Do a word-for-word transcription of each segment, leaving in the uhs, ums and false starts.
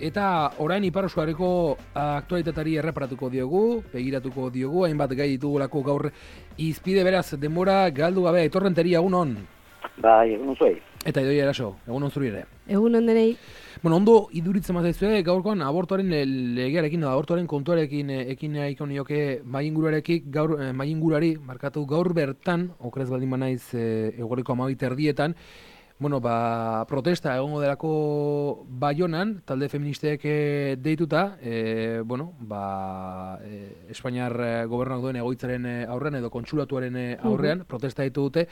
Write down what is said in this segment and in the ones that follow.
Eta orain Ipar Euskal aktualitateari erreparatuko diogu, begiratuko diogu, hainbat gai ditugulako gaur izpide, beraz, denbora galdu gabe, etorrenteri, egun on? Bai, egun zuei. Eta Idoia Eraso, egun on zuri ere. Egun on denei. Bueno, ondo iduritzen mazaizue, gaurkoan abortuaren legearekin, abortuaren kontuarekin ekin nahiko nioke maingurarekin, gaur maingurari markatu gaur bertan, okrez baldin banaiz e, eguerriko amabit erdietan, bueno, ba, protesta egongo delako Baionan, talde feministek deituta, e, bueno, ba, e, Espainiar gobernuak duen egoitzaren aurrean edo kontsulatuaren aurrean, uh-huh. protesta ditu dute,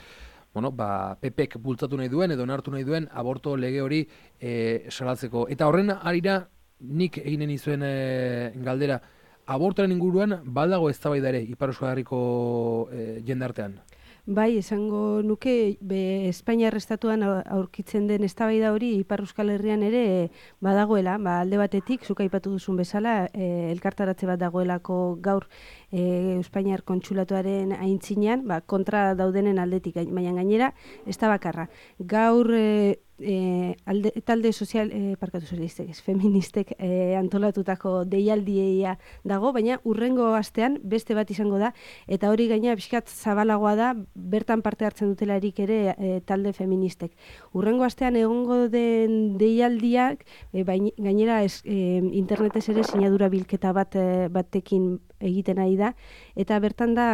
bueno, ba, P Pek bultzatu nahi duen edo onartu nahi duen aborto lege hori e, salatzeko. Eta horren arira, nik eginen izuen e, galdera, abortoaren inguruan baldago eztabaida ere Ipar Euskal Herriko e, jendartean. Bai, esango nuke be Espainiar estatuan aurkitzen den eztabaida hori Ipar Euskal Herrian ere badagoela, ba alde batetik zuk aipatu duzun bezala, e, elkartaratze bat dagoelako gaur e, Espainiar kontsulatuaren aintzinean, ba kontra daudenen aldetik, baina gainera ez da bakarra. Gaur e, E, alde, talde sozial, e, parkatu sozialistek, feministek e, antolatutako deialdia dago, baina urrengo astean beste bat izango da, eta hori gaina pixkat zabalagoa da, bertan parte hartzen dutelarik ere e, talde feministek. Urrengo astean egongo den deialdiak, e, baina, gainera ez, e, internetez ere sinadura bilketa bat e, batekin egiten ari da, eta bertan da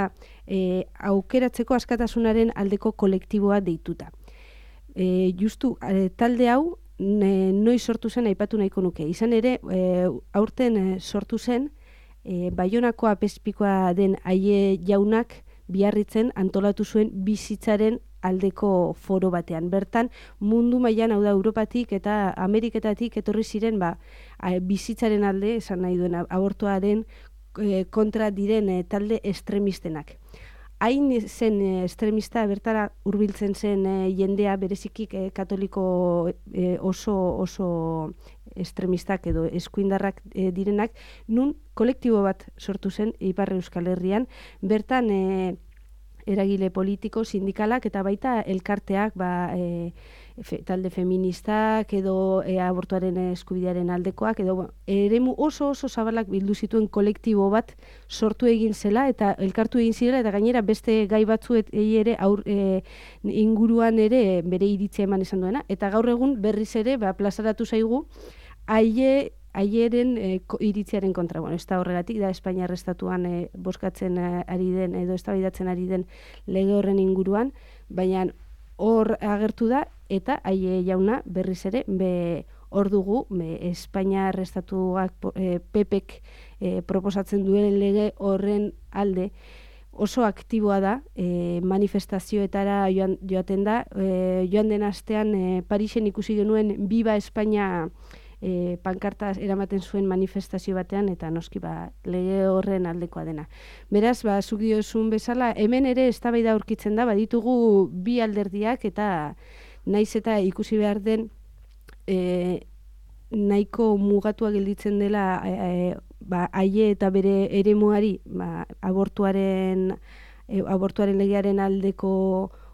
e, aukeratzeko askatasunaren aldeko kolektiboa deituta. E, justu, e, talde hau e, noiz sortu zen aipatu nahiko nuke. Izan ere, e, aurten e, sortu zen, e, Baionako apezpikoa den Aie jaunak biarritzen antolatu zuen bizitzaren aldeko foro batean. Bertan, mundu mailan, hau da, Europatik eta Ameriketatik etorri ziren ba, bizitzaren alde, esan nahi duen, abortuaren e, kontra diren e, talde estremistenak. Hain zen e, estremista bertara hurbiltzen zen e, jendea berezikik e, katoliko e, oso oso estremistak edo eskuindarrak e, direnak, nun kolektibo bat sortu zen Ipar Euskal Herrian, bertan e, eragile politiko, sindikalak eta baita elkarteak, ba, e, fe, talde feministak edo e, abortuaren eskubidearen aldekoak, edo eremu oso oso zabalak bildu zituen kolektibo bat sortu egin zela eta elkartu egin zirela, eta gainera beste gai batzuet ere aur, e, inguruan ere bere iritzia eman esan duena, eta gaur egun berriz ere ba, plazaratu zaigu aie Aieren e, iritziaren kontra. Bueno, ez da horregatik, da Espainiar estatuan e, boskatzen ari den, edo eztabaidatzen ari den lege horren inguruan, baina hor agertu da, eta Aie jauna berriz ere, be, hor dugu, be, Espainiar estatuak e, P Pek e, proposatzen duen lege horren alde, oso aktiboa da, e, manifestazioetara joan, joaten da, e, joan den astean e, Parisen ikusi genuen Viva Espainia E, pankartaz eramaten zuen manifestazio batean, eta noski ba, lege horren aldekoa dena. Beraz, ba, zuk diozun bezala, hemen ere eztabaida aurkitzen da, baditugu bi alderdiak, eta naiz eta ikusi behar den e, nahiko mugatua gelditzen dela e, ba, Aie eta bere eremuari, ba, abortuaren, e, abortuaren legearen aldeko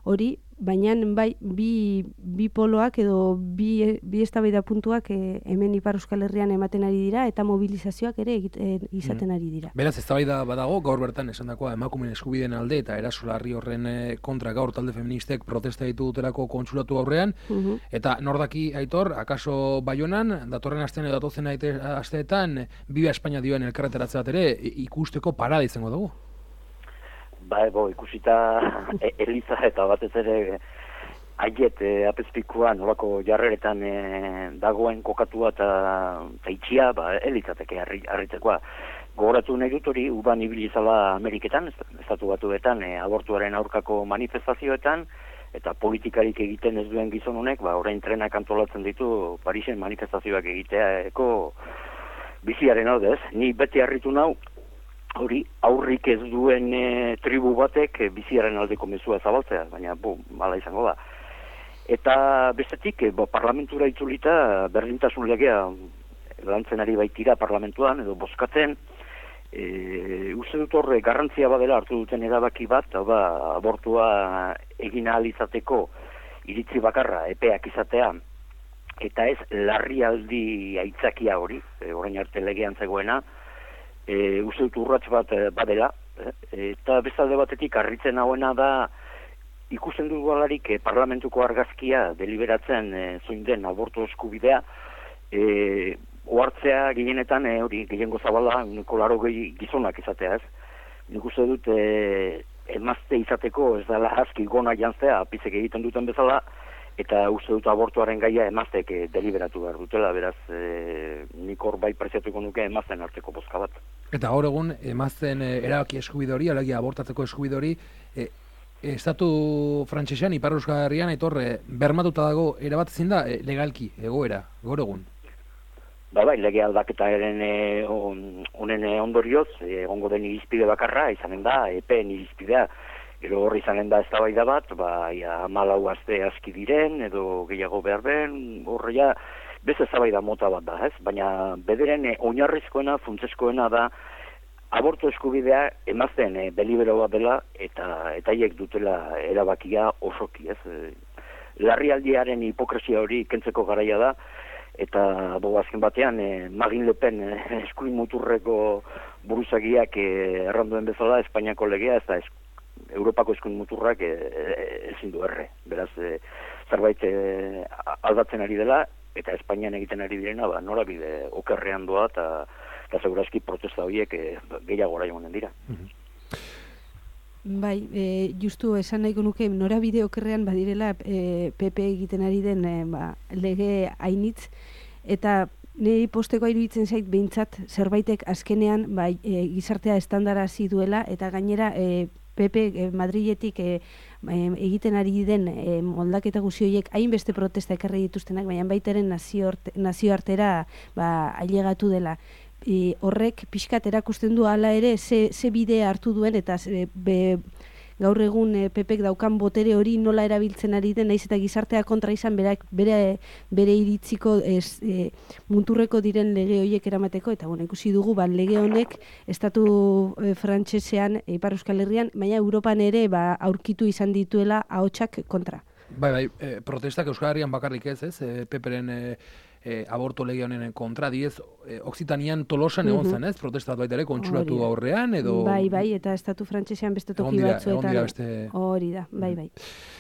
hori, baina bai bi, bi poloak edo bi, bi eztabaida puntuak e, hemen Ipar Euskal Herrian ematen ari dira eta mobilizazioak ere egiten, izaten ari dira. Beraz, eztabaida badago, gaur bertan esandakoa emakumeen eskubideen alde eta eraso larri horren kontra gaur talde feministek protesta ditu dutelako kontsulatu aurrean, uh-huh. eta nordaki Aitor, akaso Baionan, datorren astean edo datozen asteetan, Viva Espainia dioen elkarreteratze bat ere ikusteko parada izango dugu. Ba, ego, ikusita e, Eliza eta batez ere Aiet e, apezpikoa nolako jarreretan e, dagoen kokatua eta itxia, ba, Elizateke harritzekoa. Gogoratu nahi dut hori, uban ibilizala Ameriketan, estatu batuetan, e, abortuaren aurkako manifestazioetan, eta politikarik egiten ez duen gizon honek, ba, orain trenak antolatzen ditu Parisen manifestazioak egiteako biziaren hau dez. Ni beti harritu nau, hori aurrik ez duen e, tribu batek e, biziaren aldeko mezua zabaltzea, baina bu, mala izango da. Eta bestetik, e, bo, parlamentura itzulita berdintasun legea lantzen ari baitira parlamentuan, edo bozkatzen, e, uste dut horre garrantzia badela hartu duten erabaki bat, hau da, abortua egin ahal izateko iritzi bakarra, epeak izatea, eta ez larrialdi aitzakia hori, e, orain arte legean zegoena, e, uste dut urrats bat e, badela, e, eta bestalde batetik harritzen hauena da, ikusten dugu alarik e, parlamentuko argazkia deliberatzen e, zoin den abortu eskubidea, e, ohartzea gehienetan e, hori gehiengo zabala, uneko laro gehi gizonak izatea ez. Nik uste dut e, emazte izateko ez dela aski gona jantzea, apizek egiten duten bezala, eta uste dut abortuaren gaia emazteek e, deliberatu behar dutela, beraz e, nik hor bai preziatuko nuke emazten arteko bozka bat. Eta gaur egun emazten e, erabaki eskubide hori, alegia abortatzeko eskubide hori, e, estatu frantsesean, Ipar Euskal Herrian, etorre, bermatuta dago erabat ezin da e, legalki, egoera, gaur egun. Ba bai, lege aldaketaren e, on, onen ondorioz, egongo den irizpide bakarra, izanen da, epeen irizpidea, gero horri izanen da eztabaida bat, ba, ja, hamalau aste aski diren, edo gehiago behar ben, horre ja, beste eztabaida mota bat da, ez? Baina bederen e, oinarrizkoena, funtseskoena da, abortu eskubidea emazten e, delibero bat dela, eta etaiek dutela erabakia osoki, ez? E, larrialdiaren hipokresia hori kentzeko garaia da, eta bo, azken batean e, Marine Le Pen e, eskuin muturreko buruzagiak e, erranduen bezala Espainiako legea, ez da es, Europako eskuin muturrak e, e, ezin du erre. Beraz, e, zerbait e, aldatzen ari dela, eta Espainian egiten ari direna, ba, norabide okerrean doa, eta, eta segurazki protesta horiek e, gehiago orain honen dira. Bai, e, justu esan nahiko nuke norabide okerrean badirela e, P P egiten ari den e, ba, lege hainitz, eta niri posteko iruditzen zait behintzat zerbaitek azkenean ba, e, gizartea estandarazi duela, eta gainera e, P P e, Madriletik e, e, egiten ari den e, moldaketa guzi horiek hainbeste protesta ekarri dituztenak, baina baitaren nazioartera ba, ailegatu dela. E, horrek pixkat erakusten du hala ere ze, ze bide hartu duen, eta ze, be, gaur egun e, P Pek daukan botere hori nola erabiltzen ari den, naiz eta gizartea kontra izan berak, bere, bere iritziko ez, e, munturreko diren lege horiek eramateko, eta bueno, ikusi dugu ba, lege honek estatu e, frantsesean, e, Ipar Euskal Herrian, baina Europan ere ba, aurkitu izan dituela ahotsak kontra. Bai, bai, e, protestak Euskal Herrian bakarrik ez, ez, e, P Pren e, E, aborto lege honen kontra, diez, e, Oksitanian Tolosan egon zen, ez? Protestat baita ere, kontsulatu aurrean, edo... Bai, bai, eta estatu frantsesean beste toki batzuetan. Beste... Hori da, bai, bai.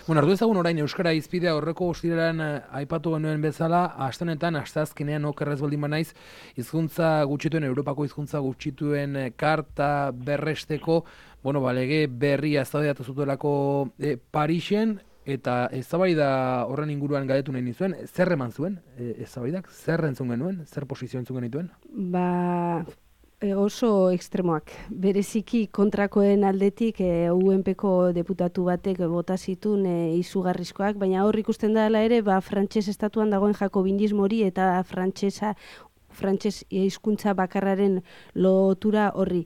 Bueno, ardu ezagun orain Euskara izpidea horreko ostiraran aipatu genuen bezala, astenetan, asteazkenean okerrez baldin banaiz, hizkuntza gutxituen, Europako hizkuntza gutxituen karta berresteko, bueno, ba, lege berria eztabaidatu zutelako e, Parisen, eta eztabaida horren inguruan galdetu nahi nizuen, zer eman zuen e, eztabaidak? Zer entzun genuen? Zer posizio entzun genituen? Ba, e, oso ekstremoak. Bereziki kontrakoen aldetik e, U N Pko deputatu batek bota zituen e, izugarrizkoak, baina hor ikusten dela ere, ba, frantses estatuan dagoen jakobinismo hori eta frantsesa frantses hizkuntza bakarraren lotura horri.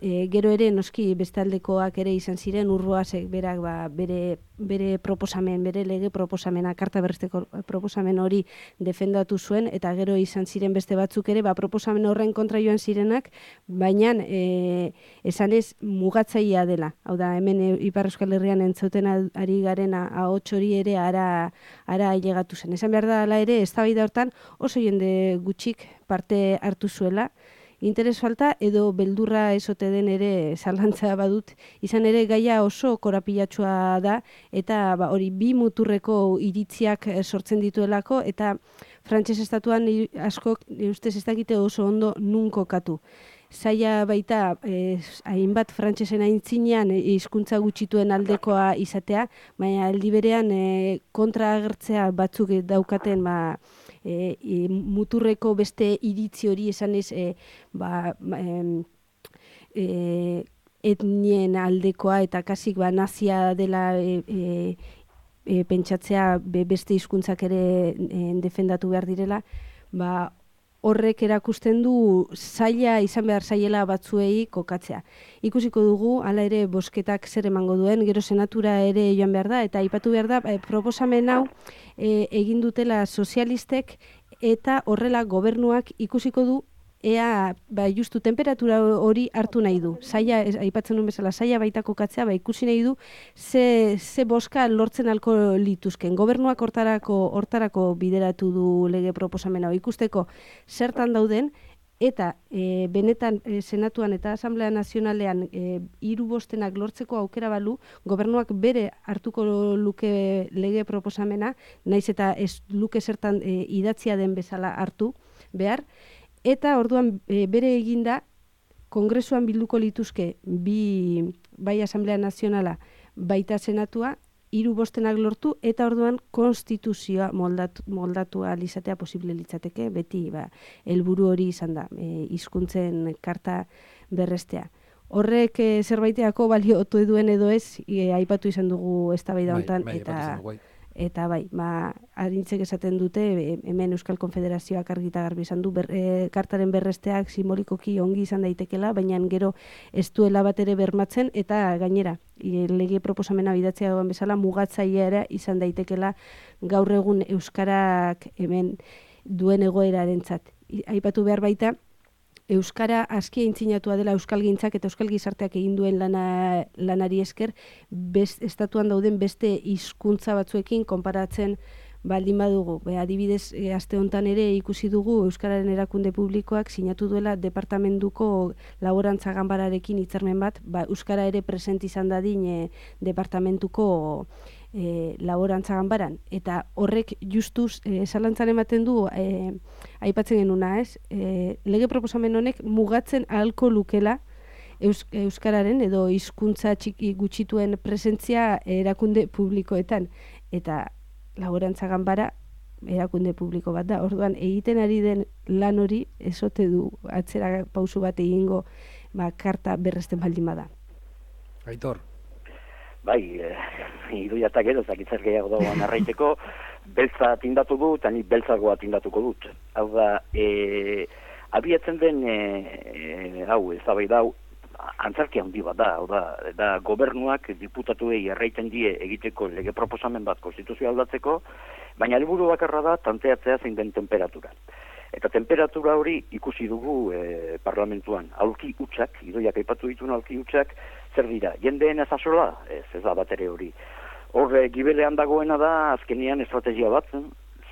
E, gero ere noski bestaldekoak ere izan ziren, Urroasek berak ba, bere, bere proposamen, bere lege proposamena, karta berresteko proposamen hori defendatu zuen, eta gero izan ziren beste batzuk ere, ba, proposamen horren kontra joan zirenak, baina e, esanez mugatzailea dela. Hau da, hemen e, Ipar Euskal Herrian entzuten ari garen ahots hori ere ara, ara ailegatu zen. Esan behar da, ala ere, eztabaida hortan oso jende gutxik parte hartu zuela, interes falta edo beldurra esote den ere zalantza badut, izan ere gaia oso korapilatsua da, eta ba, hori bi muturreko iritziak sortzen dituelako, eta frantses estatuan askok ustez ez dakite oso ondo nun kokatu. Zaila baita, eh, hainbat frantsesen aintzinean hizkuntza gutxituen aldekoa izatea, baina aldi berean eh, kontra agertzea batzuk daukaten ba, E, e, muturreko beste iritzi hori esanez e, ba, e, e, etnien aldekoa eta kasik ba, nazia dela e, e, e, pentsatzea be, beste hizkuntzak ere e, defendatu behar direla, ba, horrek erakusten du zaila izan behar zaiela batzuei kokatzea. Ikusiko dugu, hala ere bozketak zer emango duen, gero senatura ere joan behar da, eta aipatu behar da, e, proposamen hau e, egin dutela sozialistek, eta horrela gobernuak ikusiko du ea, ba, justu temperatura hori hartu nahi du. Saia, ez, aipatzen nuen bezala, saia baita kokatzea, ba, ikusi nahi du, ze, ze boska lortzen alko lituzken. Gobernuak hortarako, hortarako bideratu du lege proposamena, ikusteko zertan dauden, eta e, benetan e, Senatuan eta Asamblea Nazionalean e, hiru bostenak lortzeko aukera balu, gobernuak bere hartuko luke lege proposamena, naiz eta ez luke zertan e, idatzia den bezala hartu behar, eta orduan e, bere eginda Kongresuan bilduko lituzke bi bai Asamblea Nazionala baita Senatua, hiru bostenak lortu, eta orduan konstituzioa moldatu, moldatu alizatea posible litzateke, beti ba, helburu hori izan da, e, hizkuntzen karta berrestea. Horrek e, zerbaiteako baliotu duen edo ez, e, aipatu izan dugu eztabaida hontan, bai, bai, eta... bai. Eta bai, ba, arintzek esaten dute, hemen Euskal Konfederazioak argita garbi izan du, ber, e, kartaren berresteak simbolikoki ongi izan daitekela, baina gero ez duela bat ere bermatzen, eta gainera, e, lege proposamena bidatzea doan bezala, mugatzailea ere izan daitekela gaur egun Euskarak hemen duen egoerarentzat. Aipatu behar baita, Euskara aski aintzinatua dela euskalgintzak eta euskal gizarteak egin duen lana, lanari esker, best, estatuan dauden beste hizkuntza batzuekin konparatzen baldin badugu. Be, adibidez, e, aste hontan ere ikusi dugu Euskararen erakunde publikoak sinatu duela departamentuko laborantza ganbararekin hitzarmen bat, ba, Euskara ere present izan dadin e, departamentuko E, laborantza ganbaran, eta horrek justuz e, zalantzan ematen du e, aipatzen genuna, ez? E, lege proposamen honek mugatzen ahalko lukela Eus, Euskararen edo hizkuntza txiki gutxituen presentzia erakunde publikoetan, eta laborantza ganbara erakunde publiko bat da. Orduan, egiten ari den lan hori ezote du atzera pausu bat egingo ba, karta berresten baldin bada. Aitor. Bai, e, iruiata gero, zakitzer gehiago dagoan arraiteko, beltza tindatu du, eta ni beltzagoa tindatuko dut. Hau da, e, abiatzen den, e, e, hau, ez da bai da, antzarki handi bat da, hau da, da gobernuak diputatuei erraiten die egiteko lege proposamen bat konstituzioa aldatzeko, baina helburu bakarra da tanteatzea zein den temperatura. Eta temperatura hori ikusi dugu e, parlamentuan, aulki hutsak, idoiak aipatu dituen aulki hutsak, zer dira, jendeen ez asola, ez, ez da bat ere hori. Horre, gibelean dagoena da, azkenian estrategia bat,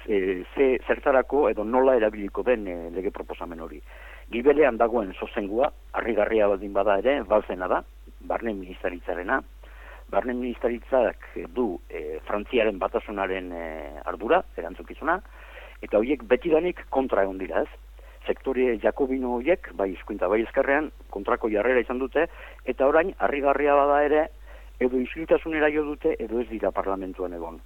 ze, ze zertarako edo nola erabiliko den e, lege proposamen hori. Gibelean dagoen sozengua, harrigarria baldin bada ere, balzena da, barne ministeritzarena. Barne ministeritzak du e, Frantziaren batasunaren e, ardura, erantzukizuna, eta horiek betidanik kontra egon dira, ez? Sektore jakobino horiek, bai hizkuntza bai ezkerrean, kontrako jarrera izan dute, eta orain, harrigarria bada ere, edo isiltasunera jo dute, edo ez dira parlamentuan egon.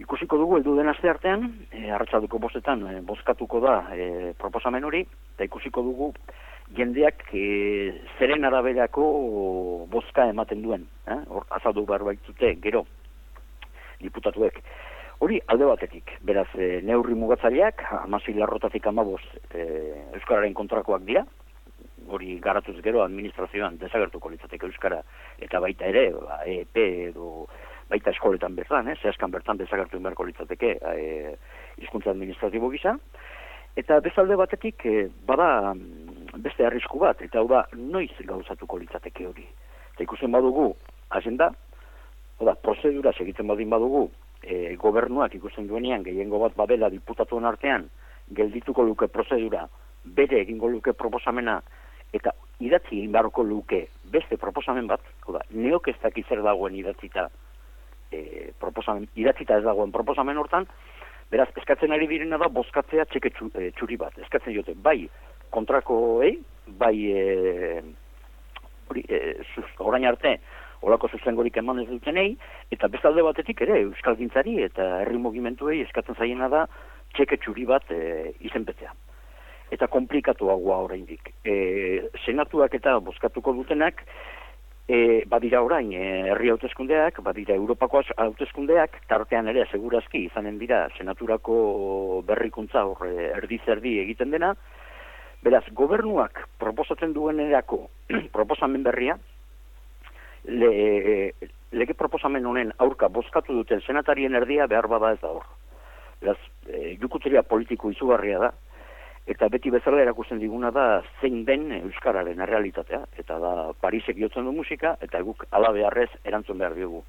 Ikusiko dugu, heldu den aste artean, e, arratsalduko bostetan, e, bozkatuko da e, proposamen hori, eta ikusiko dugu, jendeak e, zeren araberako bozka ematen duen, eh? Hor, azaldu behar baitzute, gero, diputatuek. Hori alde batetik, beraz, e, neurri mugatzaileak, hamasei larrotatik hamabost e, Euskararen kontrakoak dira, hori garatuz gero administrazioan desagertuko litzateke Euskara, eta baita ere, ba, E P edo baita eskoletan bertan, eh, zehazkan bertan desagertu beharko litzateke e, hizkuntza administratibo gisa, eta bezalde batetik, e, bada beste arrisku bat, eta hau da, noiz gauzatuko litzateke hori. Eta ikusten badugu, agenda, oda, prozedura segitzen badin badugu, E, gobernuak ikusten duenean gehiengo bat badela diputatuen artean geldituko luke prozedura, bere egingo luke proposamena eta idatzi egin beharko luke beste proposamen bat, oda, neok ez daki zer dagoen idatzita e, proposamen, idatzita ez dagoen proposamen hortan, beraz, eskatzen ari direna da bozkatzea txeke txuri bat, eskatzen jote, bai kontrakoei, bai e, hori, e, zuz, orain arte olako zuzengorik eman ez dutenei, eta bestalde batetik ere, euskalgintzari eta herri mugimenduei eskatzen zaiena da txeke txuri bat e, izenpetzea. Eta komplikatuagoa oraindik. E, senatuak eta bozkatuko dutenak, e, badira orain e, herri hauteskundeak, badira Europako hauteskundeak, tartean ere segurazki izanen dira senaturako berrikuntza hor erdi-zerdi egiten dena, beraz, gobernuak proposatzen duenerako proposamen berria, Le, lege proposamen honen aurka bozkatu duten senatarien erdia behar bada ez da hor. Beraz, e, jukuteria politiko izugarria da, eta beti bezala erakusten diguna da zein den euskararen errealitatea, eta da Parisek jotzen du musika, eta guk ala beharrez erantzun behar diogu.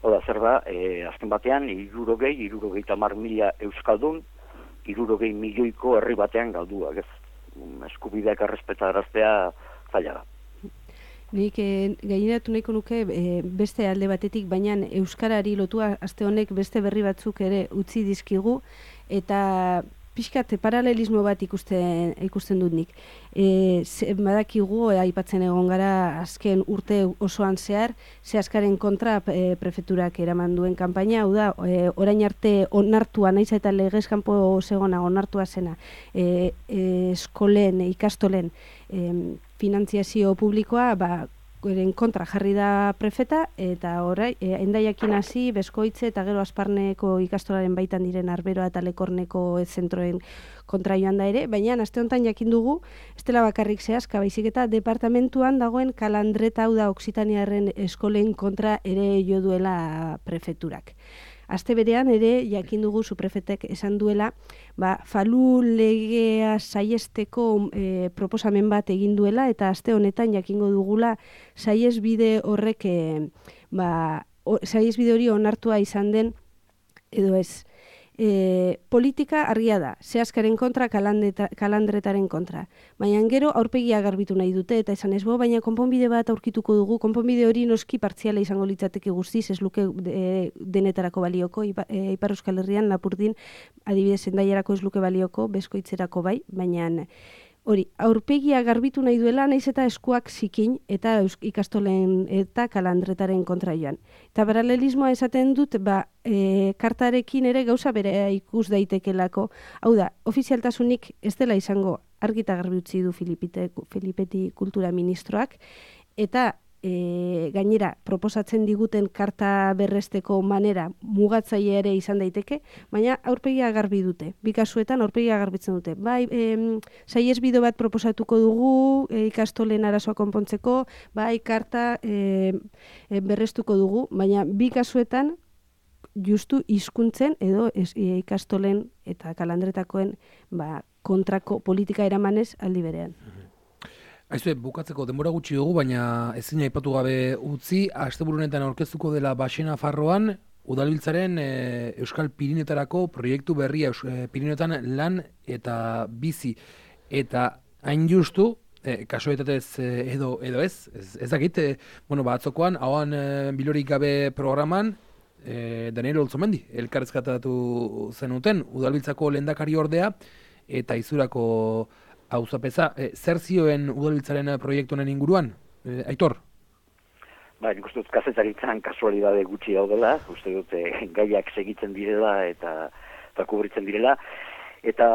Oda, zer da, e, azken batean, hirurogei, hirurogei tamar mila euskaldun, hirurogei milioiko herri batean galduak, ez? Eskubideak errespetaraztea zaila da. Nik e, gaineratu nahiko nuke e, beste alde batetik, baina euskarari lotua aste honek beste berri batzuk ere utzi dizkigu, eta pixkat paralelismo bat ikusten, ikusten dut nik. E, ze, badakigu, e, aipatzen egon gara azken urte osoan zehar, zehaskaren kontra e, prefeturak eraman duen kanpaina, hau da, e, orain arte onartua, naiz eta legez kanpo zegona onartua zena, e, e, eskolen, ikastolen, e, finantziazio publikoa, ba, eren kontra jarri da prefeta, eta orai, e, Hendaiakin hasi, Beskoitze eta gero Asparneko ikastolaren baitan diren Arberoa eta Lekorneko zentroen kontra joan da ere, baina aste honetan jakin dugu, ez dela bakarrik zehazka, baizik eta departamentuan dagoen Kalandreta, hau da Oksitaniarren eskolen kontra ere jo duela prefeturak. Aste berean ere jakin dugu suprefetek esan duela, ba, falu legea saiesteko e, proposamen bat egin duela, eta aste honetan jakingo dugula saiesbide horrek e, ba, o, saiesbide hori onartua izan den edo ez. E, politika argia da, zehaskaren kontra, kalandretaren kontra. Baina gero aurpegia garbitu nahi dute, eta esan ez bo, baina konponbide bat aurkituko dugu, konponbide hori noski partziala izango litzateke guztiz, ez luke e, denetarako balioko, Ipa, e, Ipar Euskal Herrian, Lapurdin, adibidez Hendaiarako ez luke balioko, Beskoitzerako bai, baina hori, aurpegia garbitu nahi duela, naiz eta eskuak zikin, eta ikastolen eta kalandretaren kontra joan. Eta paralelismoa esaten dut, ba, e, kartarekin ere gauza bere ikus daitekelako. Hau da, ofizialtasunik ez dela izango argita garbi utzi du Filipite, Filipeti kultura ministroak, eta e, gainera proposatzen diguten karta berresteko manera mugatzaile ere izan daiteke, baina aurpegia garbi dute. Bi kasuetan aurpegia garbitzen dute. Bai, e, saiesbide bat proposatuko dugu e, ikastolen arazoa konpontzeko, bai karta e, e, berrestuko dugu, baina bi kasuetan justu hizkuntzen edo ez, e, ikastolen eta kalandretakoen ba, kontrako politika eramanez aldi berean. Aizue, bukatzeko denbora gutxi dugu, baina ezin aipatu gabe utzi, asteburunetan aurkeztuko dela Baxena Farroan, Udalbiltzaren e, Euskal Pirinetarako proiektu berria, e, Pirinetan lan eta bizi. Eta hain justu, e, kasuetatez e, edo, edo ez, ez, ez dakit, e, bueno, batzokoan, hauan e, bilorik gabe programan, e, Daniel Olzomendi, elkarrezkatatu zenuten, Udalbiltzako lehendakari ordea, eta Izurako auzapeza, e, zer zioen Udalbiltzaren proiektu honen inguruan? E, Aitor? Ba, nik uste dut kazetaritzan kasualidade gutxi daudela, uste dut e, gaiak segitzen direla eta, eta kubritzen direla, eta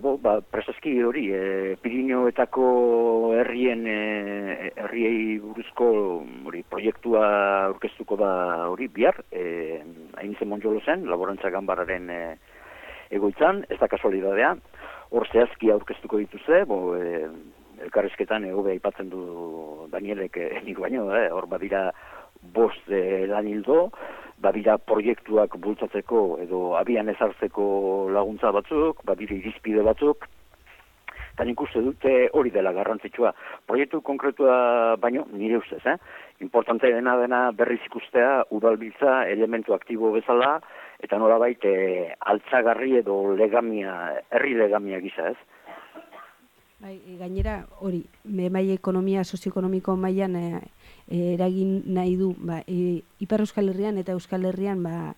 bo, ba, preseski hori, e, Pirineoetako herrien e, herriei buruzko hori, proiektua aurkeztuko da hori bihar, e, Ainize Monjolo zen, Laborantza Ganbararen e, egoitzan, ez da kasualidadea, hor zehazki aurkeztuko dituzte, bo, e, elkarrizketan egobe aipatzen du Danielek e, nik baino, e, hor badira bost e, lan hildo, badira proiektuak bultzatzeko edo abian ezartzeko laguntza batzuk, badira irizpide batzuk, eta nik uste dute hori dela garrantzitsua. Proiektu konkretua baino, nire ustez, eh? Importante dena dena berriz ikustea, Udalbiltza elementu aktibo bezala, eta nolabait e, altzagarri edo legamia, herri legamia gisa, ez? Bai, gainera hori, bai ekonomia sozioekonomiko mailan e, eragin nahi du, ba, e, Ipar Euskal Herrian eta Euskal Herrian ba,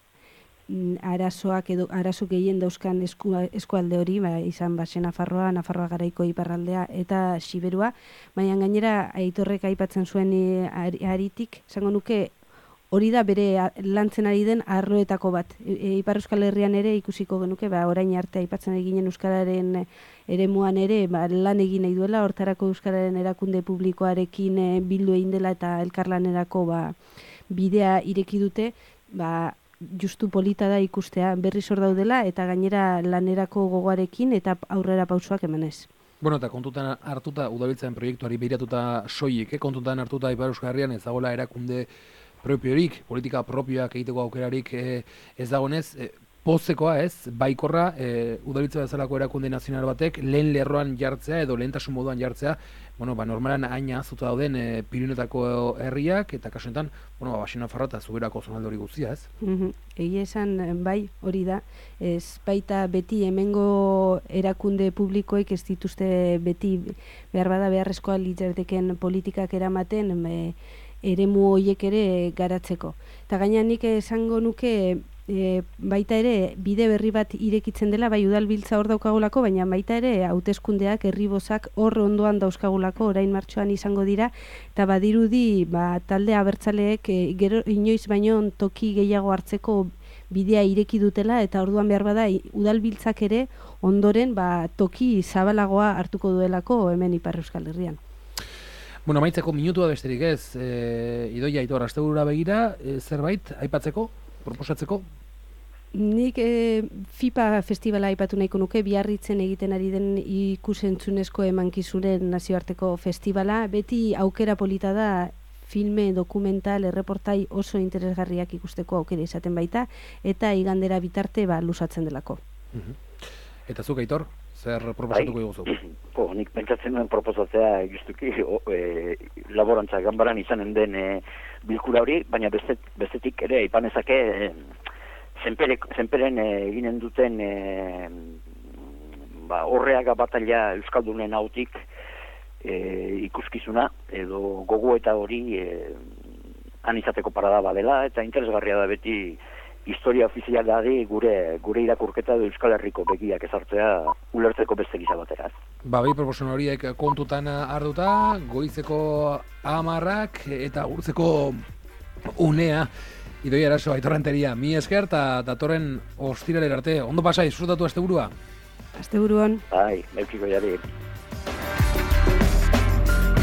arazoak edo arazo gehien dauzkan esku, eskualde hori, ba, izan Baxena Farroa, Nafarroa Garaiko iparraldea eta Siberua, baina gainera Aitorrek aipatzen zuen e, aritik, esango nuke hori da bere lantzen ari den arloetako bat. E, Ipar Euskal Herrian ere ikusiko genuke, ba, orain arte aipatzen eginen euskararen eremuan ere ba, lan egin nahi duela, hortarako euskararen erakunde publikoarekin e, bildu egin dela eta elkarlanerako ba, bidea ireki dute, ba, justu polita da ikustea berriz hor daudela eta gainera lanerako gogoarekin eta aurrera pausoak emanez. Bueno, eta kontutan hartuta Udalbiltzaren proiektuari behiratuta soilik, eh? Kontutan hartuta Ipar Euskal Herrian ez dagoela erakunde propiorik, politika propioak egiteko aukerarik eh, ez dagoenez, eh, pozekoa ez, baikorra, e, udalitza bezalako erakunde nazional batek lehen lerroan jartzea edo lehentasun moduan jartzea, bueno, ba, normalan haina azuta dauden e, Pirinetako herriak, eta kasunetan, bueno, ba, Baxi Nafarroa eta Zuberako zonalde hori guztia, ez? Mm-hmm. Egia esan, bai, hori da, ez baita beti hemengo erakunde publikoek ez dituzte beti behar bada beharrezkoa litzateken politikak eramaten e, eremu horiek ere garatzeko. Eta gaina nik esango nuke E, baita ere bide berri bat irekitzen dela, bai udalbiltza hor daukagulako, baina baita ere hauteskundeak herribozak hor ondoan dauzkagulako, orain martxoan izango dira, eta badirudi ba, talde abertzaleek e, gero inoiz baino toki gehiago hartzeko bidea ireki dutela, eta orduan behar bada udalbiltzak ere ondoren ba, toki zabalagoa hartuko duelako hemen Ipar Euskal Herrian. Bueno, amaitzeko minutua besterik ez, e, Idoia Aitor, asteburura begira, e, zerbait aipatzeko? Proposatzeko? Nik e, FIPA festivala aipatu nahiko nuke, Biarritzen egiten ari den ikusentzunezko emankizunen nazioarteko festivala. Beti aukera polita da filme, dokumental, erreportai oso interesgarriak ikusteko aukera izaten baita, eta igandera bitarte ba, lusatzen delako. Uh-huh. Eta zuk, Aitor, zer proposatuko diguzu? Po, nik pentsatzen duen proposatzea justuki e, laborantza ganbaran izanen den e, bilkura hori, baina bestet, bestetik ere ipanezake e, zenpere, zenperen e, eginen duten e, ba, horreaga batalla Euskaldunen hautik e, ikuskizuna edo gogo eta hori e, han izateko parada badela, eta interesgarria da beti historia ofizialari gure gure irakurketa edo Euskal Herriko begiak ezartzea ulertzeko beste gisa batera. Ba, bai proposamen horiek kontutan hartuta, goizeko hamarrak eta gurtzeko unea, Idoia Eraso, Aitor Renteria, mi esker eta datorren ostiralera arte. Ondo pasai, disfrutatu asteburua. Asteburuan. Bai, beukiko jari.